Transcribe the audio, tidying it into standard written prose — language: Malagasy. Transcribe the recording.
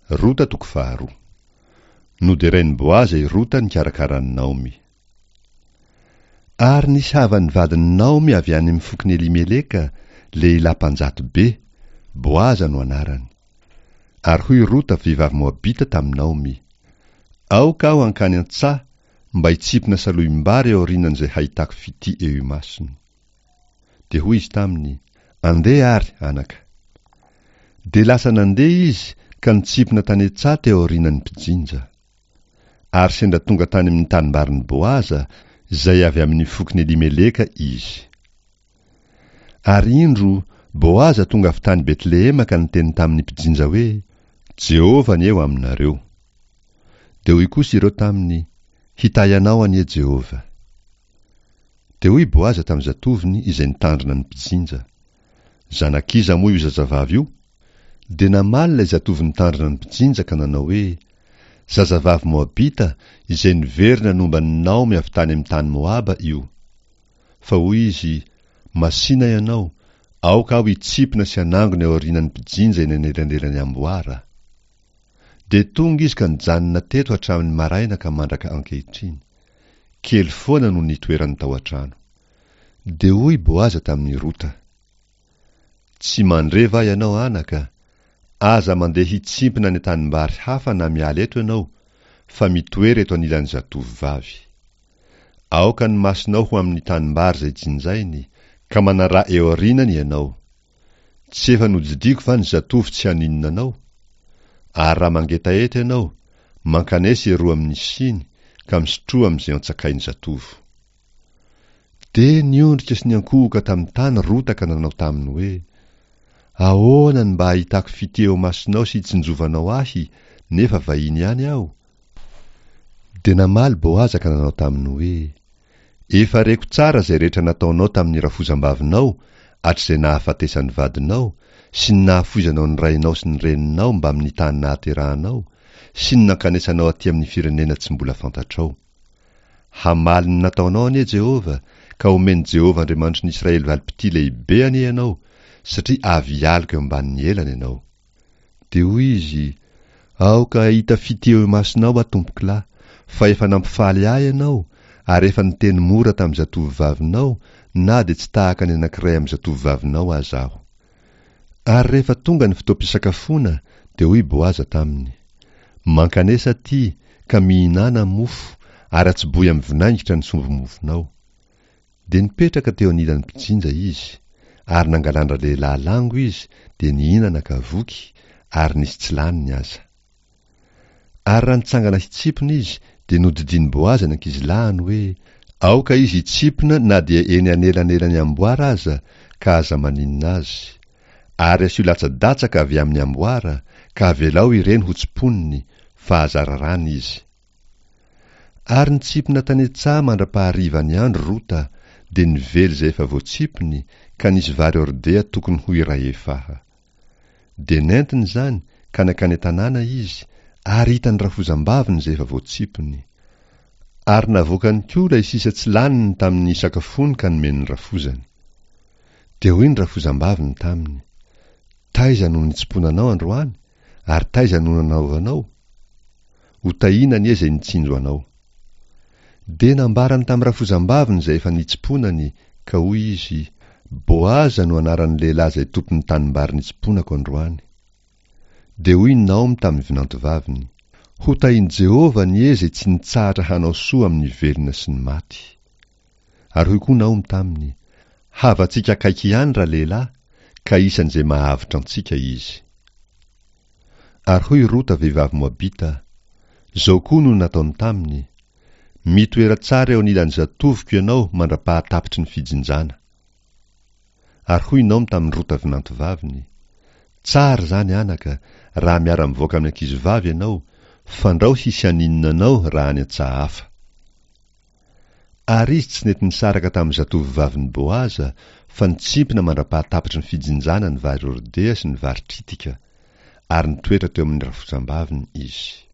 Rota toko faharoa. Noderain'i Boaza i Rota nikarakara an'i Naomy. Ary nisy havan'ny vadin'i Naomy avy any amin'ny fokon'i Elimeleka, lehilahy mpanjato be, Boaza no anarany. Ary hoy Rota vehivavy Moabita tamin'i Naomy, Aoka aho hankany an-tsaha mba hitsimpona salohim-bary aorianan'izay hahitako fitia eo imasony. Dia hoy izy taminy, Andeha àry, anaka. Dia lasa nandeha izy ka nitsimpona tany an-tsaha teo aorianan'ny mpijinja. Ary sendra tonga tany amin'ny tanimbarin'i Boaza, izay avy amin'ny fokon'i Elimeleka, izy. Ary indro, Boaza tonga avy tany Betlehema ka niteny tamin'ny mpijinja hoe, Jehovah anie ho aminareo. Dia hoy kosa ireo taminy, Hitahy anao anie Jehovah. Dia hoy Boaza tamin'ny zatovony izay nitandrina ny mpijinja, Zanak'iza moa io zazavavy io? Dia namaly ilay zatovo nitandrina ny mpijinja ka nanao hoe, Zazavavy Moabita izay niverina nomba an'i Naomy avy tany amin'ny tany Moaba io. Fa hoy izy, Masìna ianao, aoka aho hitsimpona sy hanangona eo aorianan'ny mpijinja eny anelanelan'ny amboara. Dia tonga izy ka nijanona teto hatramin'ny maraina ka mandraka ankehitriny. Kely foana no nitoerany tao an-trano. Dia hoy Boaza tamin'i Rota, Tsy mandre va ianao, anaka? Aza mandeha hitsimpona any an-tanimbary hafa na miala eto ianao, fa mitoera eto anilan'ny zatovovavy. Aoka ny masonao ho amin'ny tanimbary izay jinjainy, ka manaraha eo aorianany ianao. Tsy efa nodidiako va ny zatovo tsy haninona anao? Ary raha mangetaheta ianao, mankanesa eroa amin'ny siny, ka misotroa amin'izay antsakain'ny zatovo. Dia niondrika sy niankohoka tamin'ny tany Rota ka nanao taminy hoe, Ahoana no mba hahitako fitia eo imasonao sy hitsinjovanao ahy, nefa vahiny ihany aho? Dia namaly Boaza ka nanao taminy hoe, Efa reko tsara izay rehetra nataonao tamin'ny rafozam-bavinao hatrizay nahafatesan'ny vadinao, sy ny nahafoizanao ny rainao sy ny reninao mbamin'ny tany nahaterahanao, sy ny nankanesanao aty amin'ny firenena tsy mbola fantatrao. Hamaly ny nataonao anie Jehovah, ka homen'i Jehovah Andriamanitry ny Israely valim-pitia lehibe anie ianao, satria avy hialoka eo ambanin'ny elany ianao. Dia hoy izy, Aoka hahita fitia eo imasonao aho, tompokolahy, fa efa nampifaly ahy ianao, ary efa niteny mora tamin'ny zatovovavinao, na dia tsy tahaka ny anankiray amin'ny zatovovavinao aza aho. Ary rehefa tonga ny fotoam-pisakafoana, dia hoy Boaza taminy, Mankanesa atỳ, ka mihinàna mofo, ary atsobohy amin'ny vinaingitra ny sombi-mofonao. Dia nipetraka teo anilan'ny mpijinja izy, ary nangalan-dralehilahy lango izy, dia nihinana ka voky, ary nisy tsy laniny aza. Ary raha nitsangana hitsimpona izy, dia nodidian'i Boaza ny ankizilahiny hoe, Aoka izy hitsimpona na dia eny anelanelan'ny amboara aza, ka aza maninona azy. Ary asio latsa-datsaka avy amin'ny amboara, ka avelao ireny ho tsimponiny, fa aza raràna izy. Ary nitsimpona tany an-tsaha mandra-paharivan'ny andro Rota, dia nively izay efa voatsimpony, ka nisy vary hordea tokony ho iray efaha. Dia nentiny izany, ka nankany an-tanàna izy, ary hitan'ny rafozam-baviny izay efa voatsimpony. Ary navoakany koa ilay sisa tsy laniny tamin'ny sakafony ka nomeny ny rafozany. Dia hoy ny rafozam-baviny taminy, Taiza no nitsimponanao androany, ary taiza no nanaovanao? Ho tahiana anie izay nitsinjo anao. Dia nambarany tamin'ny rafozam-baviny izay efa nitsimponany, ka hoy izy, Boaza no anaran'ny lehilahy izay tompon'ny tanimbary nitsimponako androany. Dia hoy Naomy tamin'ny vinantovaviny, Ho tahin'i Jehovah anie izay tsy nitsahatra hanao soa amin'ny velona sy ny maty. Ary hoy koa Naomy taminy, Havantsika akaiky ihany ralehilahy, ka isan'izay mahavotra antsika izy. Ary hoy Rota vehivavy Moabita, Izao koa no nataony taminy, Mitoera tsara eo anilan'ny zatovoko ianao mandra-pahatapitry ny fijinjana. Ary hoy Naomy tamin'i Rota vinantovaviny, Tsara izany, anaka, raha miara-mivoaka amin'ny ankizivavy ianao, fandrao hisy haninona anao raha any an-tsaha hafa. Ary izy tsy nety nisaraka tamin'ny zatovovavin'i Boaza, fa nitsimpona mandra-pahatapitry ny fijinjana ny vary hordea sy ny vary tritika, ary nitoetra teo amin'ny rafozam-baviny izy.